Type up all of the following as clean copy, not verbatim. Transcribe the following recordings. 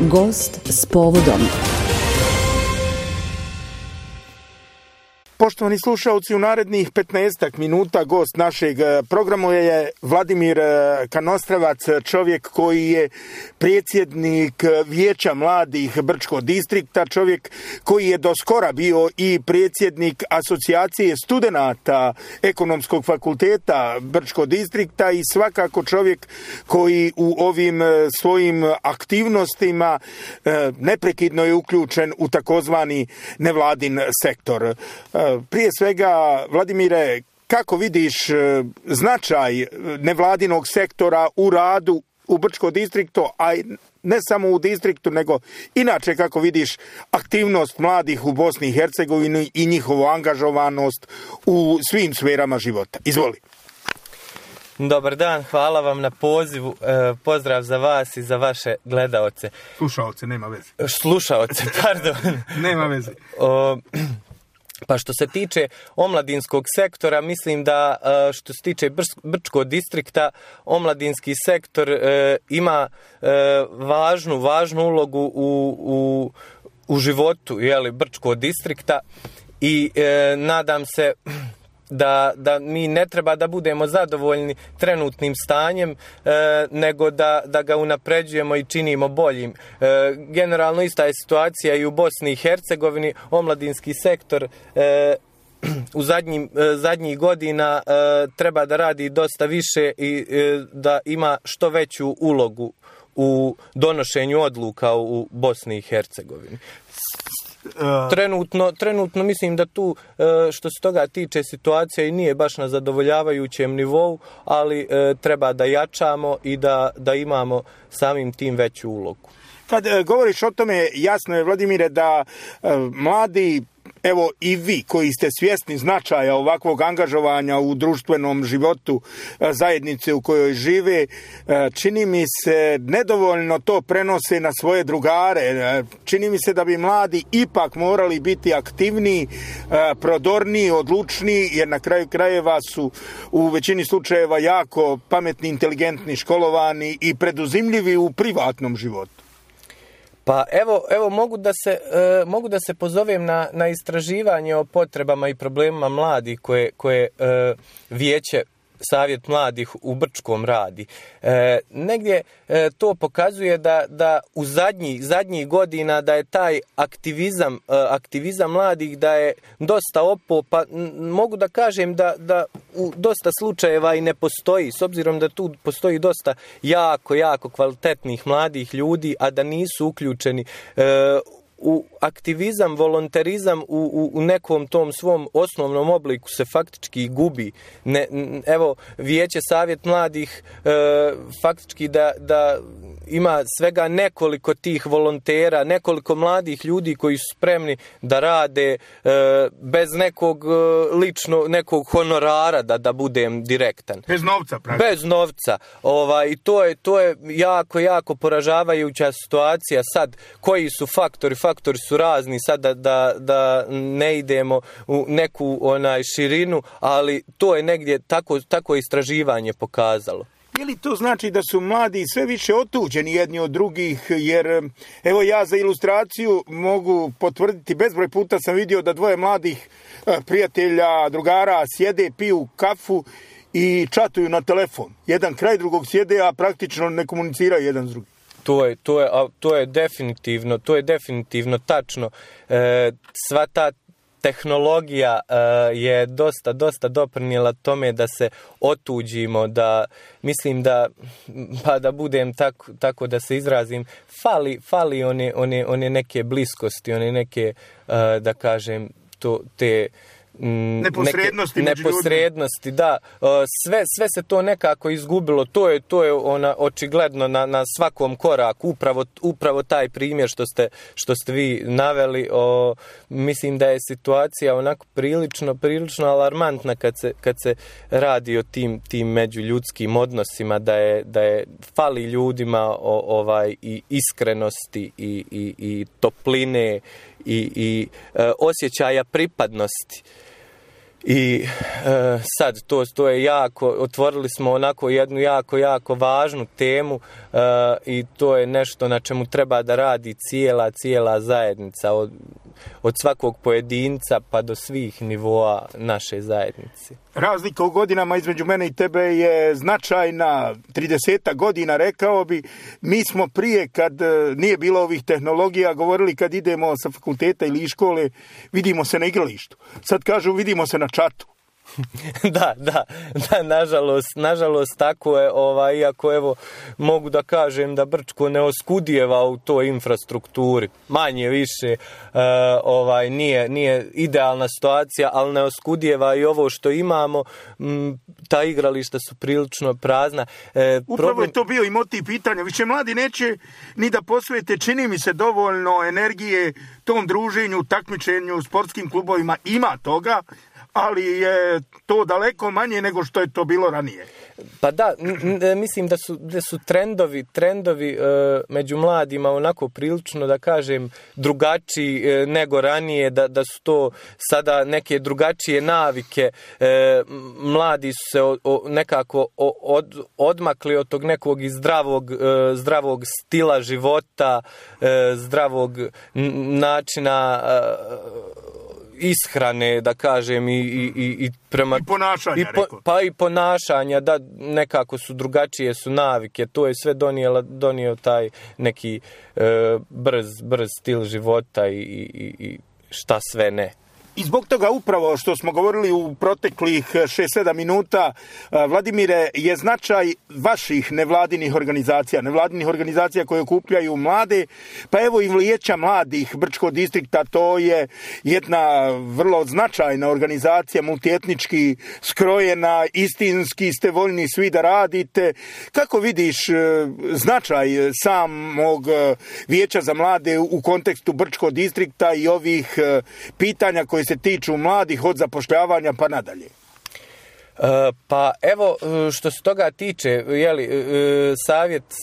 Gost s povodom. Poštovani slušalci, u narednih 15 minuta gost našeg programa je Vladimir Kanostravac, čovjek koji je predsjednik Vijeća mladih Brčkog distrikta, čovjek koji je do skora bio i predsjednik Asocijacije studenata Ekonomskog fakulteta Brčkog distrikta i svakako čovjek koji u ovim svojim aktivnostima neprekidno je uključen u takozvani nevladin sektor. Prije svega, Vladimire, kako vidiš značaj nevladinog sektora u radu u Brčkom distriktu, a ne samo u distriktu, nego inače kako vidiš aktivnost mladih u Bosni i Hercegovini i njihovu angažovanost u svim sferama života? Izvoli. Dobar dan, hvala vam na pozivu, pozdrav za vas i za vaše gledaoce. Slušaoce, nema veze. Slušaoce, pardon. Nema veze. Pa što se tiče omladinskog sektora, mislim da što se tiče Brčkog distrikta, omladinski sektor ima važnu ulogu u životu Brčkog distrikta i nadam se da mi ne treba da budemo zadovoljni trenutnim stanjem, nego da ga unapređujemo i činimo boljim. Generalno ista je situacija i u Bosni i Hercegovini. Omladinski sektor u zadnjih godina treba da radi dosta više i da ima što veću ulogu u donošenju odluka u Bosni i Hercegovini. Trenutno mislim da tu što se toga tiče situacija i nije baš na zadovoljavajućem nivou, ali treba da jačamo i da imamo samim tim veću ulogu. Kad govoriš o tome, jasno je, Vladimire, da mladi, evo i vi koji ste svjesni značaja ovakvog angažovanja u društvenom životu zajednice u kojoj žive, čini mi se nedovoljno to prenose na svoje drugare. Čini mi se da bi mladi ipak morali biti aktivniji, prodorniji, odlučniji, jer na kraju krajeva su u većini slučajeva jako pametni, inteligentni, školovani i preduzimljivi u privatnom životu. Pa evo mogu da se pozovem na istraživanje o potrebama i problemima mladih koje Vijeće Savjet mladih u Brčkom radi. Negdje to pokazuje da u zadnjih godina da je taj aktivizam mladih da je dosta opao, pa mogu da kažem da u dosta slučajeva i ne postoji, s obzirom da tu postoji dosta jako kvalitetnih mladih ljudi, a da nisu uključeni u aktivizam, volonterizam u nekom tom svom osnovnom obliku se faktički gubi. Evo, Vijeće Savjet mladih faktički da ima svega nekoliko tih volontera, nekoliko mladih ljudi koji su spremni da rade bez nekog honorara, da budem direktan. Bez novca, praktično. Bez novca. I to je jako poražavajuća situacija. Sad, koji su faktori? Faktori su razni, sad da ne idemo u neku širinu, ali to je negdje tako istraživanje pokazalo. Je li to znači da su mladi sve više otuđeni jedni od drugih, jer evo ja za ilustraciju mogu potvrditi, bezbroj puta sam vidio da dvoje mladih prijatelja, drugara sjede, piju kafu i čatuju na telefon. Jedan kraj drugog sjede, a praktično ne komuniciraju jedan s drugim. To je definitivno tačno. Sva ta tehnologija je dosta doprinijela tome da se otuđimo, da mislim da budem tako da se izrazim, fali one neke bliskosti, one neke, da kažem, te neposrednosti, da. Sve se to nekako izgubilo. To je očigledno na svakom koraku. Upravo taj primjer što ste vi naveli. Mislim da je situacija onako prilično alarmantna kad se radi o tim međuljudskim odnosima, da je fali ljudima i iskrenosti i topline i osjećaja pripadnosti. I sad to je jako, otvorili smo onako jednu jako važnu temu i to je nešto na čemu treba da radi cijela zajednica od svakog pojedinca pa do svih nivoa naše zajednice. Razlika u godinama između mene i tebe je značajna, 30 godina rekao bi. Mi smo prije, kad nije bilo ovih tehnologija, govorili kad idemo sa fakulteta ili iz škole, vidimo se na igralištu. Sad kažu vidimo se na čatu. Da, nažalost tako je, iako evo mogu da kažem da Brčko ne oskudijeva u toj infrastrukturi, manje više nije idealna situacija, ali ne oskudijeva i ovo što imamo, ta igrališta su prilično prazna. Upravo je to bio i motiv pitanja, više mladi neće ni da posvete, čini mi se, dovoljno energije tom druženju, takmičenju u sportskim klubovima, ima toga, ali je to daleko manje nego što je to bilo ranije. Pa da, mislim da su trendovi među mladima onako prilično, da kažem, drugačiji nego ranije, da su to sada neke drugačije navike. Mladi su se nekako odmakli od tog nekog zdravog stila života, zdravog načina ishrane, da kažem, i ponašanja, pa i ponašanja, da nekako su drugačije su navike, to je sve donio taj neki brz stil života i šta sve ne. I zbog toga upravo što smo govorili u proteklih 6-7 minuta, Vladimire, je značaj vaših nevladinih organizacija koje okupljaju mlade, pa evo i Vijeća mladih Brčkog distrikta, to je jedna vrlo značajna organizacija, multietnički skrojena, istinski ste voljni svi da radite. Kako vidiš značaj samog Vijeća za mlade u kontekstu Brčkog distrikta i ovih pitanja koje se tiču mladih od zapošljavanja pa nadalje? Pa evo, što se toga tiče,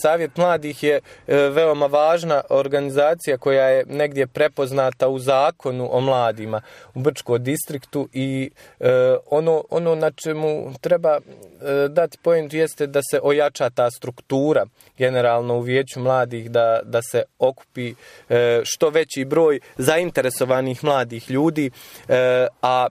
Savjet mladih je veoma važna organizacija koja je negdje prepoznata u zakonu o mladima u Brčkom distriktu i ono na čemu treba dati point jeste da se ojača ta struktura generalno u Vijeću mladih, da se okupi što veći broj zainteresovanih mladih ljudi, a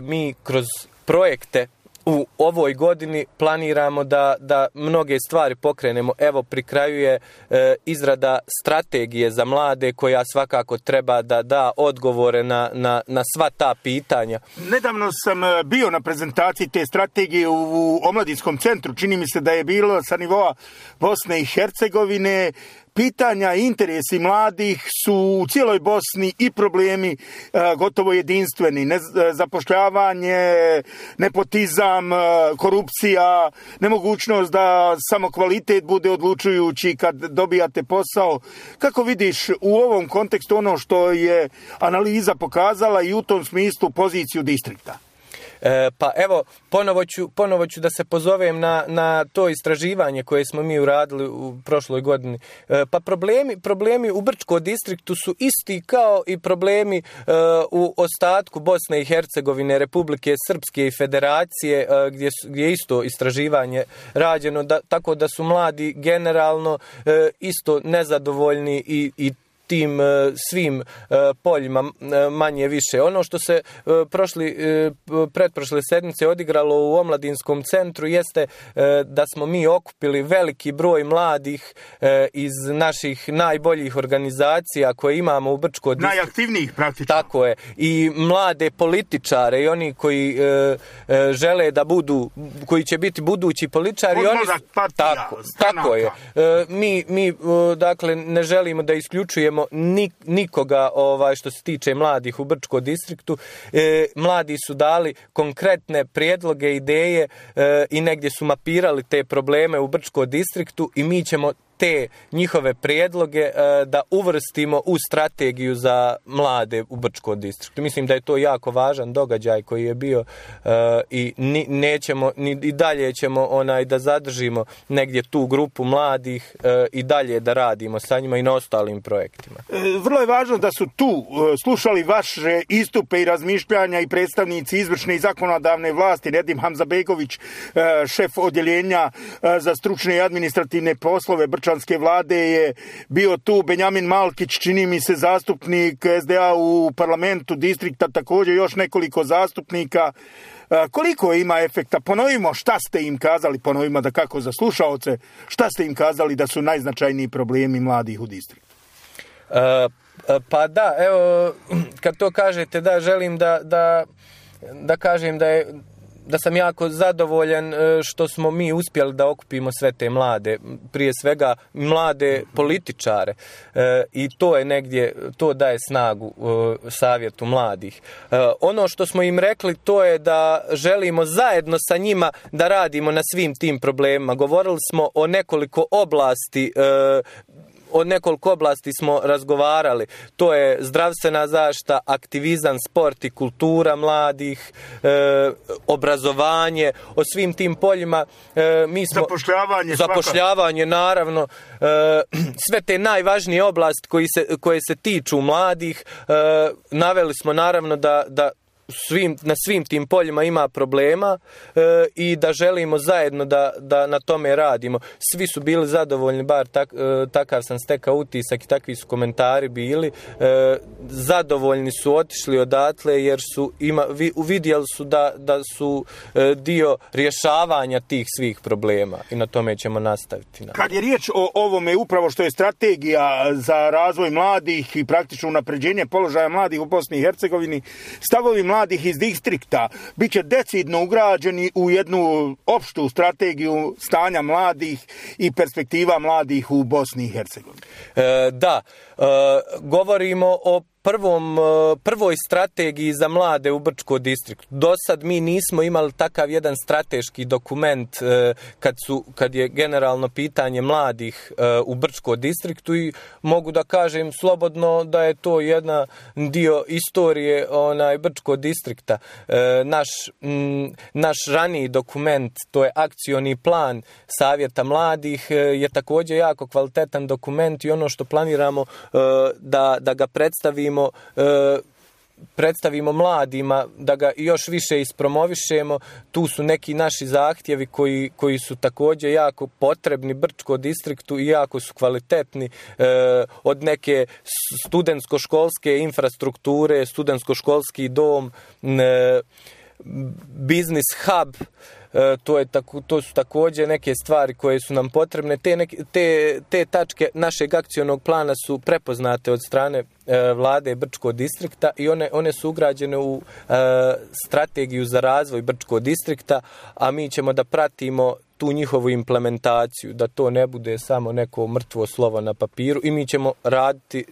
mi kroz projekte u ovoj godini planiramo da mnoge stvari pokrenemo. Evo, pri kraju je izrada strategije za mlade koja svakako treba da da odgovore na sva ta pitanja. Nedavno sam bio na prezentaciji te strategije u Omladinskom centru. Čini mi se da je bilo sa nivoa Bosne i Hercegovine. Pitanja i interesi mladih su u cijeloj Bosni i problemi gotovo jedinstveni. Zapošljavanje, nepotizam, korupcija, nemogućnost da samo kvalitet bude odlučujući kad dobijate posao. Kako vidiš u ovom kontekstu ono što je analiza pokazala i u tom smislu poziciju distrikta? Pa evo, ponovo ću da se pozovem na to istraživanje koje smo mi uradili u prošloj godini. Pa problemi u Brčkom distriktu su isti kao i problemi u ostatku Bosne i Hercegovine, Republike Srpske i Federacije, gdje je isto istraživanje rađeno, tako da su mladi generalno isto nezadovoljni i tim svim poljima manje više. Ono što se pretprošle sedmice odigralo u Omladinskom centru jeste da smo mi okupili veliki broj mladih iz naših najboljih organizacija koje imamo u Brčkom distriktu. Najaktivnijih praktično. Tako je. I mlade političare i oni koji žele da budu, koji će biti budući političari. Tako je. Mi dakle ne želimo da isključujemo nikoga što se tiče mladih u Brčkom distriktu. Mladi su dali konkretne prijedloge, ideje i negdje su mapirali te probleme u Brčkom distriktu i mi ćemo te njihove prijedloge da uvrstimo u strategiju za mlade u Brčkom distriktu. Mislim da je to jako važan događaj koji je bio i nećemo, i dalje ćemo da zadržimo negdje tu grupu mladih i dalje da radimo sa njima i na ostalim projektima. Vrlo je važno da su tu slušali vaše istupe i razmišljanja i predstavnici izvršne i zakonodavne vlasti. Nedim Hamzabegović, šef odjeljenja za stručne i administrativne poslove Brčanske vlade, je bio tu. Benjamin Malkić, čini mi se zastupnik SDA u parlamentu distrikta, također još nekoliko zastupnika. Koliko ima efekta? Ponovimo šta ste im kazali, ponovimo da kako za slušaoce, šta ste im kazali da su najznačajniji problemi mladih u distriktu? Pa da, evo, kad to kažete, da, želim da kažem da sam jako zadovoljan što smo mi uspjeli da okupimo sve te mlade, prije svega mlade političare, i to je negdje, to daje snagu savjetu mladih. Ono što smo im rekli, to je da želimo zajedno sa njima da radimo na svim tim problemima. Govorili smo o nekoliko oblasti smo razgovarali. To je zdravstvena zaštita, aktivizam, sport i kultura mladih, obrazovanje, o svim tim poljima. Zapošljavanje, naravno. Sve te najvažnije oblasti koje se tiču mladih. Naveli smo naravno da na svim tim poljima ima problema i da želimo zajedno da na tome radimo. Svi su bili zadovoljni, bar takav sam stekao utisak i takvi su komentari bili. Zadovoljni su otišli odatle jer su uvidjeli su da su dio rješavanja tih svih problema i na tome ćemo nastaviti. Kad je riječ o ovome, upravo što je strategija za razvoj mladih i praktično unapređenje položaja mladih u Bosni i Hercegovini, stavovi mladih iz distrikta bit će decidno ugrađeni u jednu opštu strategiju stanja mladih i perspektiva mladih u Bosni i Hercegovini. Da, govorimo o prvoj strategiji za mlade u Brčkom distriktu. Do sad mi nismo imali takav jedan strateški dokument kad je generalno pitanje mladih u Brčkom distriktu, i mogu da kažem slobodno da je to jedan dio istorije Brčkog distrikta. Naš raniji dokument, to je akcioni plan Savjeta mladih, je također jako kvalitetan dokument i ono što planiramo da ga predstavimo mladima, da ga još više ispromovišemo. Tu su neki naši zahtjevi koji su također jako potrebni Brčkom distriktu i jako su kvalitetni, od neke studentsko-školske infrastrukture, studentsko-školski dom, business hub. To su također neke stvari koje su nam potrebne. Te tačke našeg akcionog plana su prepoznate od strane vlade Brčkog distrikta i one su ugrađene u strategiju za razvoj Brčkog distrikta, a mi ćemo da pratimo tu njihovu implementaciju, da to ne bude samo neko mrtvo slovo na papiru, i mi ćemo raditi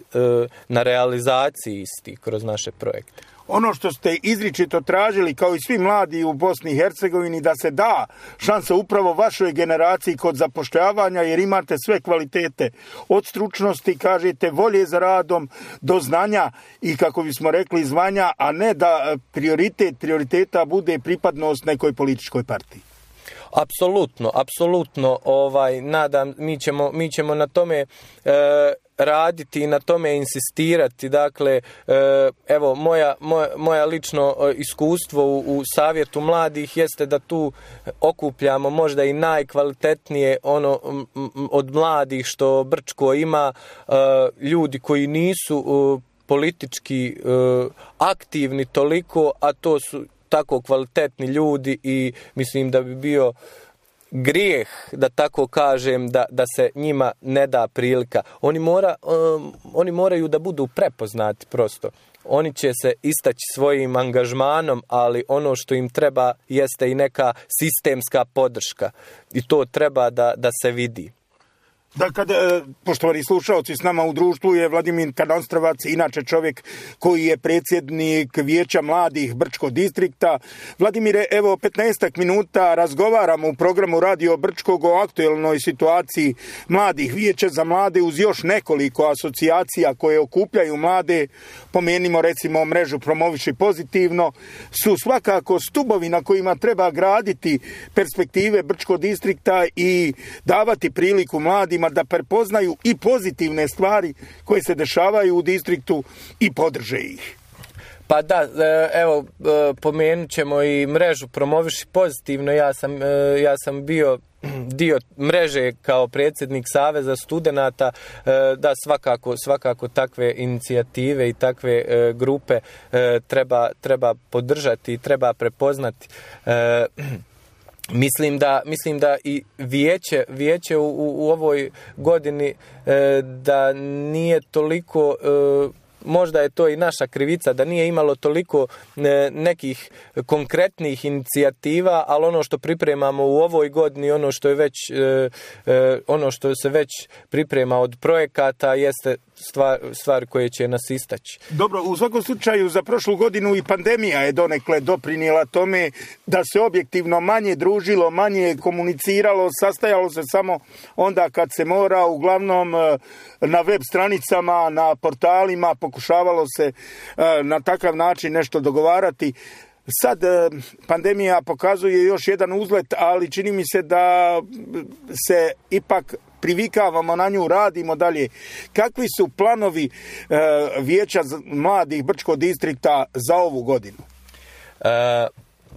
na realizaciji istih kroz naše projekte. Ono što ste izričito tražili, kao i svi mladi u Bosni i Hercegovini, da se da šansa upravo vašoj generaciji kod zapošljavanja, jer imate sve kvalitete, od stručnosti, kažete, volje za radom, do znanja i, kako bismo rekli, zvanja, a ne da prioriteta bude pripadnost nekoj političkoj partiji. Apsolutno, nadam, mi ćemo na tome raditi i na tome insistirati. Dakle, evo, moja lično iskustvo u Savjetu mladih jeste da tu okupljamo možda i najkvalitetnije od mladih što Brčko ima, ljudi koji nisu politički aktivni toliko, a to su tako kvalitetni ljudi, i mislim da bi bio grijeh, da tako kažem, da se njima ne da prilika. Oni moraju da budu prepoznati prosto. Oni će se istaći svojim angažmanom, ali ono što im treba jeste i neka sistemska podrška. I to treba da se vidi. Da, poštovani slušalci, s nama u društvu je Vladimir Kanostrovac, inače čovjek koji je predsjednik Vijeća mladih Brčkog distrikta. Vladimire, evo 15 minuta razgovaramo u programu Radio Brčkog o aktuelnoj situaciji mladih. Vijeće za mlade uz još nekoliko asocijacija koje okupljaju mlade, pomenimo recimo mrežu Promoviši pozitivno, su svakako stubovi na kojima treba graditi perspektive Brčkog distrikta i davati priliku mladima da prepoznaju i pozitivne stvari koje se dešavaju u distriktu i podrže ih. Pa da, evo, pomenut ćemo i mrežu Promoviši pozitivno. Ja sam bio dio mreže kao predsjednik Saveza studenata, da svakako takve inicijative i takve grupe treba podržati i treba prepoznati. Mislim da i vijeće u ovoj godini da nije toliko, možda je to i naša krivica, da nije imalo toliko nekih konkretnih inicijativa, ali ono što pripremamo u ovoj godini, ono što se već priprema od projekata jeste stvari koje će nas istaći. Dobro, u svakom slučaju za prošlu godinu i pandemija je donekle doprinijela tome da se objektivno manje družilo, manje komuniciralo, sastajalo se samo onda kad se mora, uglavnom na web stranicama, na portalima, pokušavalo se na takav način nešto dogovarati. Sad pandemija pokazuje još jedan uzlet, ali čini mi se da se ipak privikavamo na nju, radimo dalje. Kakvi su planovi Vijeća mladih Brčkog distrikta za ovu godinu?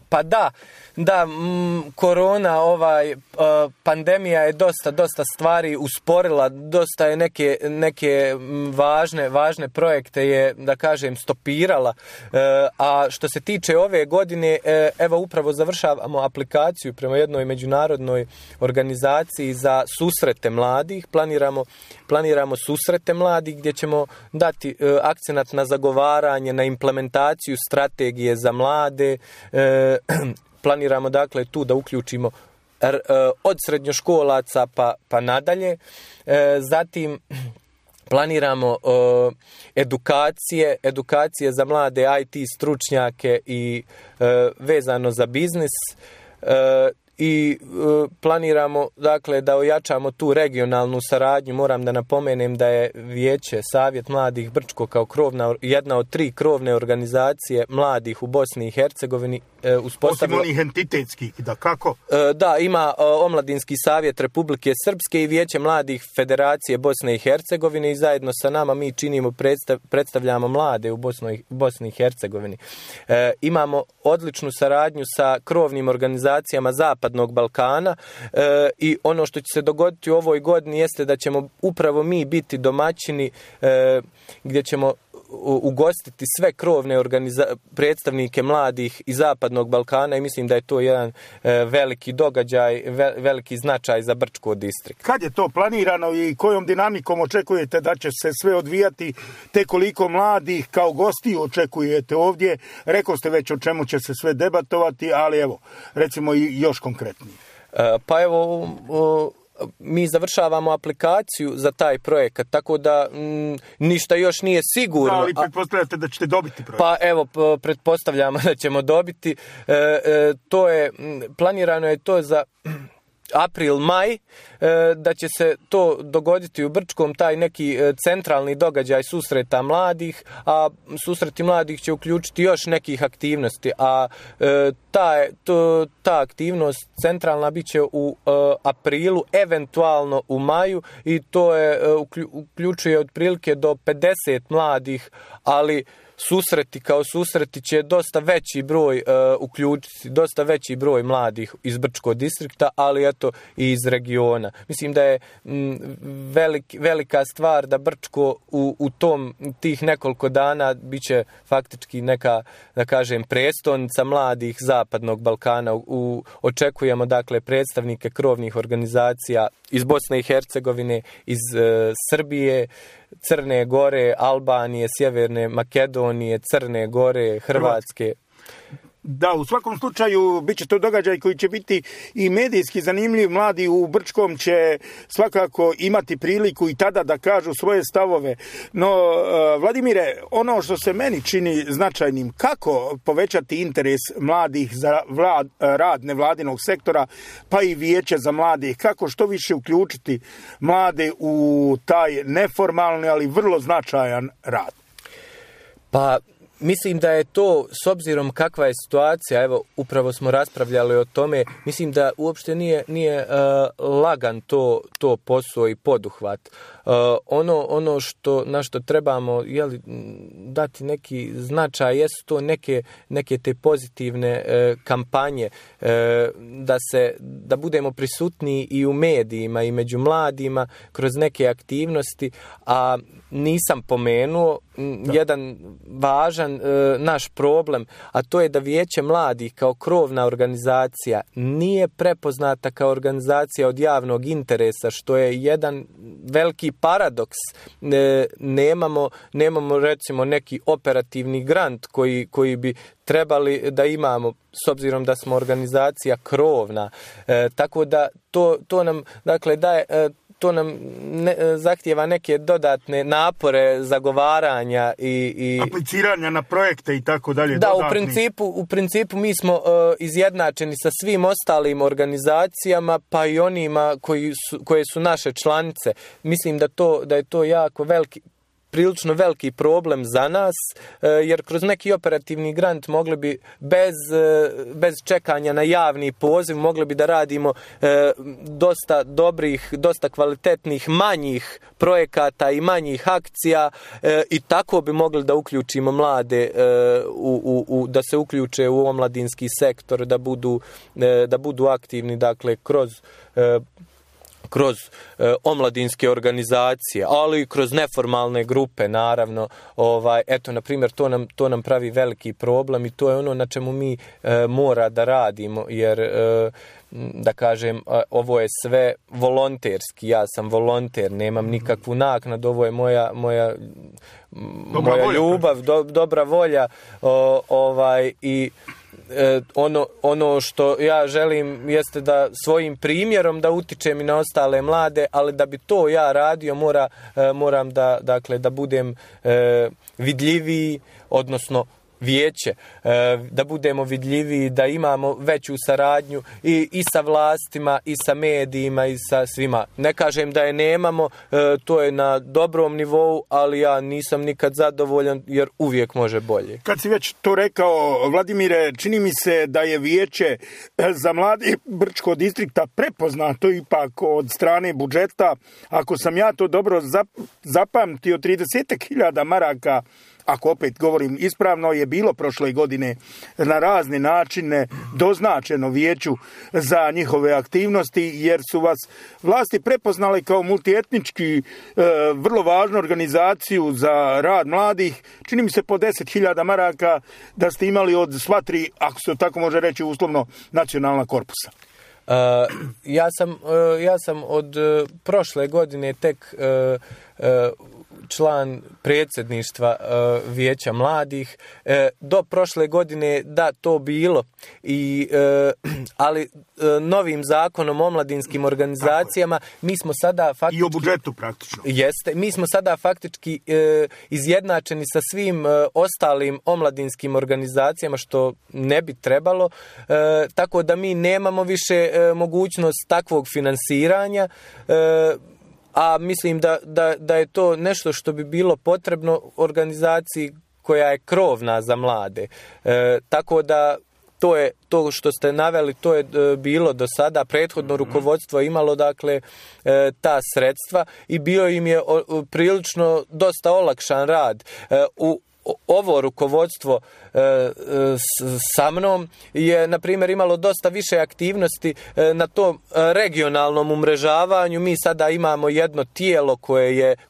Pa da, korona, pandemija je dosta stvari usporila, dosta je neke važne projekte je, da kažem, stopirala, a što se tiče ove godine, evo upravo završavamo aplikaciju prema jednoj međunarodnoj organizaciji za susrete mladih, planiramo susrete mladih gdje ćemo dati akcenat na zagovaranje, na implementaciju strategije za mlade. Planiramo dakle tu da uključimo od srednjoškolaca pa nadalje. Zatim planiramo edukacije za mlade IT stručnjake i vezano za biznis. I planiramo dakle da ojačamo tu regionalnu saradnju. Moram da napomenem da je Vijeće Savjet mladih Brčko kao jedna od 3 krovne organizacije mladih u Bosni i Hercegovini uspostavilo. Osim onih entitetskih, da kako? Da, ima Omladinski savjet Republike Srpske i Vijeće mladih Federacije Bosne i Hercegovine i zajedno sa nama mi predstavljamo mlade u Bosni i Hercegovini. Imamo odličnu saradnju sa krovnim organizacijama Zapadnog Balkana i ono što će se dogoditi u ovoj godini jeste da ćemo upravo mi biti domaćini gdje ćemo ugostiti sve krovne predstavnike mladih iz Zapadnog Balkana i mislim da je to jedan veliki događaj, veliki značaj za Brčko distrikt. Kad je to planirano i kojom dinamikom očekujete da će se sve odvijati, te koliko mladih kao gostiju očekujete ovdje? Rekao ste već o čemu će se sve debatovati, ali evo, recimo i još konkretnije. Pa evo, mi završavamo aplikaciju za taj projekat, tako da ništa još nije sigurno. Da, ali pretpostavljate da ćete dobiti projekt? Pa evo, pretpostavljamo da ćemo dobiti. Planirano je to za april, maj, da će se to dogoditi u Brčkom, taj neki centralni događaj susreta mladih, a susreti mladih će uključiti još nekih aktivnosti, a ta aktivnost centralna bit će u aprilu, eventualno u maju i to uključuje otprilike do 50 mladih, ali susreti će dosta veći broj uključiti, dosta veći broj mladih iz Brčkog distrikta, ali eto i iz regiona. Mislim da je velika stvar da Brčko u tih nekoliko dana bit će faktički neka, da kažem, prestolnica mladih Zapadnog Balkana. Očekujemo dakle predstavnike krovnih organizacija iz Bosne i Hercegovine, iz Srbije, Crne Gore, Albanije, Sjeverne Makedonije, Crne Gore, Hrvatske. Da, u svakom slučaju bit će to događaj koji će biti i medijski zanimljiv. Mladi u Brčkom će svakako imati priliku i tada da kažu svoje stavove. No, Vladimire, ono što se meni čini značajnim, kako povećati interes mladih za rad nevladinog sektora, pa i vijeće za mladih, kako što više uključiti mlade u taj neformalni, ali vrlo značajan rad? Pa, mislim da je to, s obzirom kakva je situacija, evo, upravo smo raspravljali o tome, mislim da uopšte nije lagan to posao i poduhvat. Ono na što trebamo dati neki značaj jesu to neke te pozitivne kampanje, da budemo prisutni i u medijima i među mladima kroz neke aktivnosti, a nisam pomenuo jedan važan naš problem, a to je da Vijeće mladih kao krovna organizacija nije prepoznata kao organizacija od javnog interesa, što je jedan veliki paradoks. Nemamo recimo neki operativni grant koji bi trebali da imamo, s obzirom da smo organizacija krovna. Tako da to nam dakle daje, to nam zahtijeva neke dodatne napore zagovaranja i apliciranja na projekte i tako dalje. Da, u principu mi smo izjednačeni sa svim ostalim organizacijama, pa i onima koje su naše članice. Mislim da je to jako prilično veliki problem za nas, jer kroz neki operativni grant mogli bi bez čekanja na javni poziv mogli bi da radimo dosta dobrih, dosta kvalitetnih manjih projekata i manjih akcija i tako bi mogli da uključimo mlade da se uključe u omladinski sektor, da budu aktivni, dakle, kroz omladinske organizacije, ali i kroz neformalne grupe, naravno. Eto, na primjer, to nam pravi veliki problem i to je ono na čemu mi mora da radimo, jer da kažem, ovo je sve volonterski. Ja sam volonter, nemam nikakvu naknadu, ovo je moja ljubav, dobra volja i ono što ja želim jeste da svojim primjerom da utičem i na ostale mlade, ali da bi to ja radio moram da budem vidljiviji, odnosno vijeće, da budemo vidljiviji, da imamo veću saradnju i sa vlastima, i sa medijima, i sa svima. Ne kažem da je nemamo, to je na dobrom nivou, ali ja nisam nikad zadovoljan, jer uvijek može bolje. Kad si već to rekao, Vladimire, čini mi se da je vijeće za mladi Brčkog distrikta prepoznato ipak od strane budžeta. Ako sam ja to dobro zapamtio, 30.000 maraka, ako opet govorim ispravno, je bilo prošle godine na razne načine doznačeno vijeću za njihove aktivnosti, jer su vas vlasti prepoznale kao multietnički vrlo važnu organizaciju za rad mladih. Čini mi se po 10.000 maraka da ste imali od sva tri, ako se tako može reći uslovno, nacionalna korpusa. Ja sam od prošle godine tek član predsjedništva Vijeća mladih. Do prošle godine da to bilo, ali novim zakonom o omladinskim organizacijama mi smo sada faktički... I o budžetu praktično. Jeste, mi smo sada faktički izjednačeni sa svim ostalim omladinskim organizacijama, što ne bi trebalo, tako da mi nemamo više mogućnost takvog finansiranja, a mislim da je to nešto što bi bilo potrebno organizaciji koja je krovna za mlade. Tako da to što ste naveli, to je bilo do sada. Prethodno rukovodstvo je imalo, dakle, ta sredstva i bio im je prilično dosta olakšan rad. Ovo rukovodstvo sa mnom je, na primjer, imalo dosta više aktivnosti na tom regionalnom umrežavanju. Mi sada imamo jedno tijelo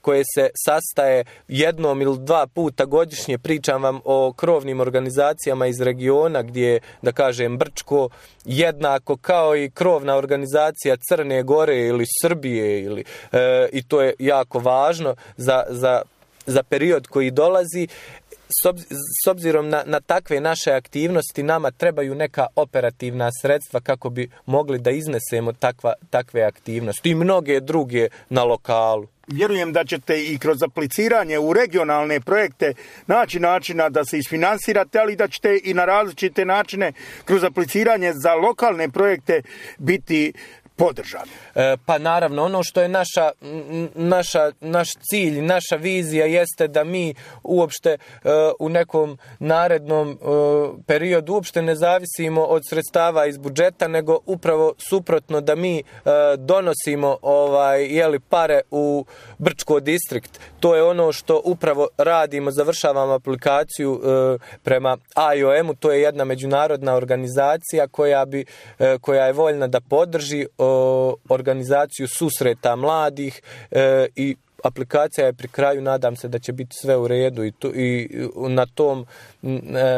koje se sastaje jednom ili dva puta godišnje. Pričam vam o krovnim organizacijama iz regiona gdje, da kažem, Brčko jednako kao i krovna organizacija Crne Gore ili Srbije i to je jako važno za period koji dolazi. s obzirom na takve naše aktivnosti nama trebaju neka operativna sredstva kako bi mogli da iznesemo takve aktivnosti i mnoge druge na lokalu. Vjerujem da ćete i kroz apliciranje u regionalne projekte naći načina da se isfinansirate, ali da ćete i na različite načine kroz apliciranje za lokalne projekte biti podržani. Pa naravno, ono što je naš cilj, naša vizija jeste da mi uopšte u nekom narednom periodu uopšte ne zavisimo od sredstava iz budžeta, nego upravo suprotno da mi donosimo pare u Brčko distrikt. To je ono što upravo radimo, završavamo aplikaciju prema IOM-u, to je jedna međunarodna organizacija koja je voljna da podrži organizaciju susreta mladih i aplikacija je pri kraju, nadam se da će biti sve u redu i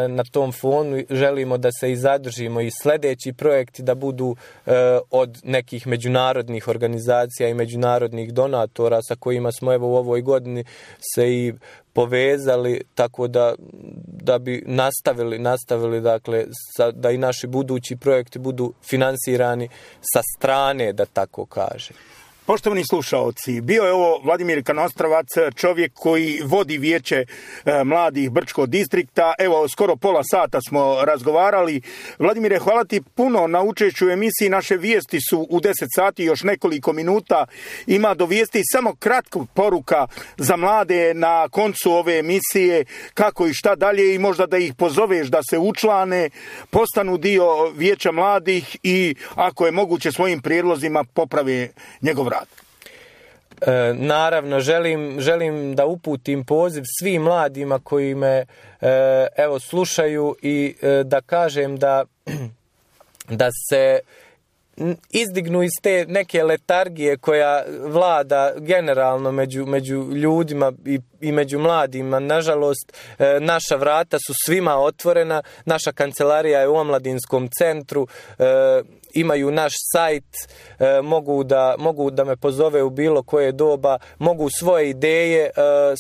na tom fonu želimo da se i zadržimo i sljedeći projekti da budu od nekih međunarodnih organizacija i međunarodnih donatora sa kojima smo evo u ovoj godini se i povezali, tako da bi nastavili dakle da i naši budući projekti budu finansirani sa strane, da tako kaže. Poštovani slušaoci, bio je ovo Vladimir Kanostravac, čovjek koji vodi vijeće mladih Brčkog distrikta. Evo, skoro pola sata smo razgovarali. Vladimire, hvala ti puno na učešću u emisiji. Naše vijesti su u 10 sati, još nekoliko minuta. Ima do vijesti samo kratka poruka za mlade na koncu ove emisije, kako i šta dalje, i možda da ih pozoveš da se učlane, postanu dio vijeća mladih i ako je moguće svojim prijedlozima poprave njegov rad. Naravno, želim da uputim poziv svim mladima koji me slušaju i da kažem da se izdignu iz te neke letargije koja vlada generalno među ljudima i među mladima. Nažalost, naša vrata su svima otvorena, naša kancelarija je u omladinskom centru, imaju naš sajt, mogu da me pozove u bilo koje doba, mogu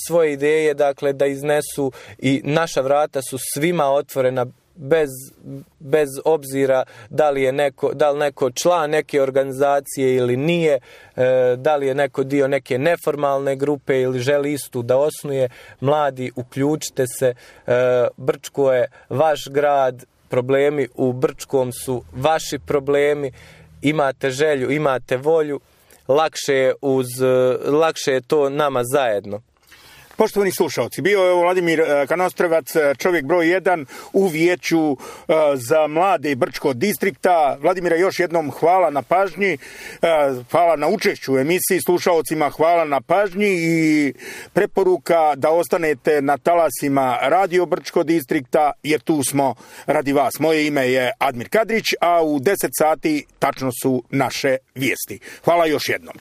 svoje ideje dakle da iznesu i naša vrata su svima otvorena bez obzira da li neko član neke organizacije ili nije, da li je neko dio neke neformalne grupe ili želi istu da osnuje. Mladi, uključite se, Brčko je vaš grad, problemi u Brčkom su vaši problemi, imate želju, imate volju, lakše je to nama zajedno. Poštovani slušalci, bio je Vladimir Kanostravac, čovjek broj 1 u vijeću za mlade Brčkog distrikta. Vladimire, još jednom hvala na pažnji, hvala na učešću u emisiji, slušalcima hvala na pažnji i preporuka da ostanete na talasima Radio Brčkog distrikta, jer tu smo radi vas. Moje ime je Admir Kadrić, a u 10 sati tačno su naše vijesti. Hvala još jednom.